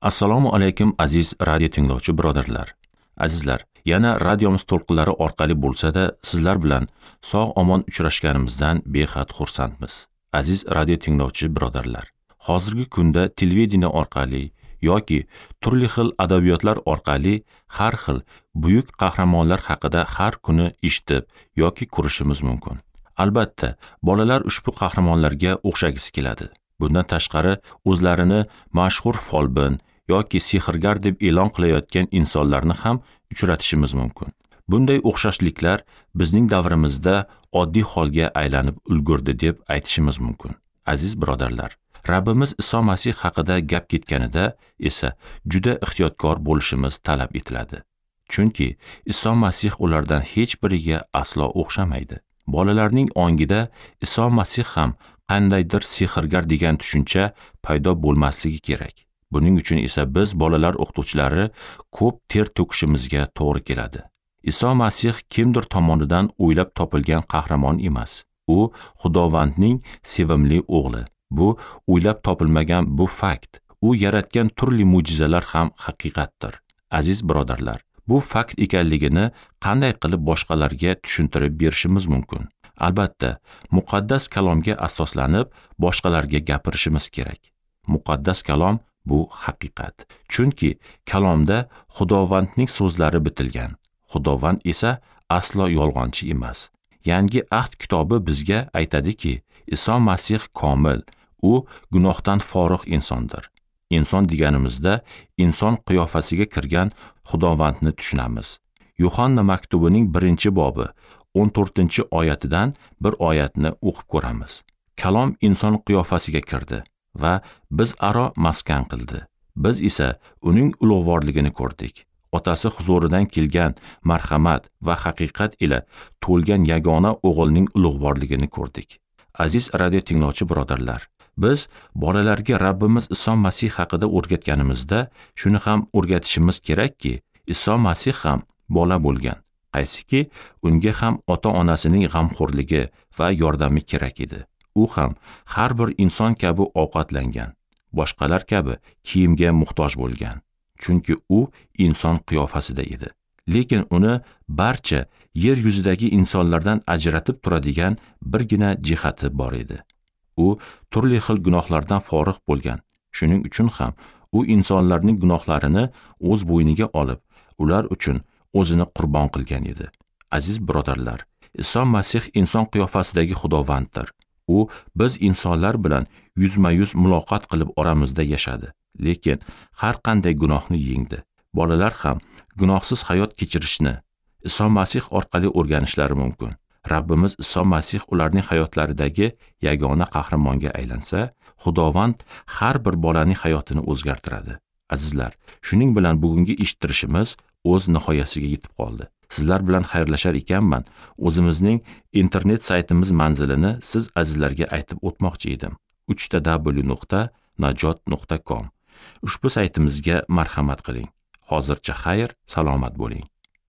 Assalomu alaykum aziz radio tinglovchi birodarlar. Azizlar, yana radiomiz to'lqinlari orqali bo'lsa-da, sizlar bilan sog' omon uchrashganimizdan behad xursandmiz. Aziz radio tinglovchi birodarlar, hozirgi kunda televideniye orqali yoki turli xil adabiyotlar orqali har xil buyuk qahramonlar haqida har kuni eshitib yoki ko'rishimiz mumkin. Albatta, bolalar ushbu qahramonlarga o'xshagisi keladi. Bundan tashqari, o'zlarini mashhur folbin yoki sehrgar deb e'lon qilayotgan insonlarni ham uchratishimiz mumkin. Bunday o'xshashliklar bizning davrimizda oddiy holga aylanib ulgurdi deb aytishimiz mumkin. Aziz birodarlar, Rabbimiz Iso Masih haqida gap ketganida esa juda ehtiyotkor bo'lishimiz talab etiladi. Chunki Iso Masih ulardan hech biriga aslo o'xshamaydi. Bolalarning ongida Iso Masih ham qandaydir sehrgar degan tushuncha paydo bo'lmasligi kerak. Buning uchun esa biz bolalar o'qituvchilari ko'p ter to'kishimizga to'g'ri keladi. Iso Masih kimdir tomonidan o'ylab topilgan qahramon emas. U Xudovandning sevimli o'g'li. Bu o'ylab topilmagan bu fakt. U yaratgan turli mo'jizalar ham haqiqatdir. Aziz birodarlar, bu fakt ekanligini qanday qilib boshqalarga tushuntirib berishimiz mumkin? Albatta, muqaddas kalomga asoslanib boshqalarga gapirishimiz kerak. Muqaddas kalom bu haqiqat. Chunki kalomda Xudovandning so'zlari bitilgan. Xudovand esa aslo yolg'onchi emas. Yangi ahd kitobi bizga aytadiki, Iso Masih komil, u gunohdan forig' insondir. Inson deganimizda inson qiyofasiga kirgan Xudovandni tushunamiz. Yuhanna maktubining 1-bobi 14-oyatidan bir oyatni o'qib ko'ramiz. Kalom inson qiyofasiga kirdi va biz aro maskan qildi. Biz esa uning ulug'vorligini ko'rdik. Otasi huzuridan kelgan marhamat va haqiqat ila to'lgan yagona o'g'ilning ulug'vorligini ko'rdik. Aziz radio tinglovchi birodarlar, biz bolalarga Rabbimiz Iso Masih haqida o'rgatganimizda shuni ham o'rgatishimiz kerakki, Iso Masih ham bola bo'lgan. Qaysiki, unga ham ota-onasining g'amxo'rligi va yordami kerak edi. U ham har bir inson kabi ovqatlangan, boshqalar kabi kiyimga muhtoj bo'lgan. Chunki u inson qiyofasida edi. Lekin uni barcha yer yuzidagi insonlardan ajratib turadigan birgina jihati bor edi. U turli xil gunohlardan forig' bo'lgan. Shuning uchun ham u insonlarning gunohlarini o'z bo'yniga olib, ular uchun o'zini qurbon qilgan edi. Aziz birodarlar, Iso Masih inson qiyofasidagi Xudovanddir. U biz insonlar bilan yuzma-yuz muloqot qilib oramizda yashadi. Lekin har qanday gunohni yengdi. Bolalar ham gunohsiz hayot kechirishni Iso Masih orqali o'rganishlari mumkin. Rabbimiz Iso Masih ularning hayotlaridagi yagona qahramonga aylansa, Xudovand har bir bolaning hayotini o'zgartiradi. Azizlar, shuning bilan bugungi eshittirishimiz o'z nihoyasiga yetib qoldi. Sizlar bilan xayrlashar ekanman, o'zimizning internet saytimiz manzilini siz azizlarga aytib o'tmoqchi edim. www.najot.com. Ushbu saytimizga marhamat qiling. Hozircha xayr, salomat bo'ling.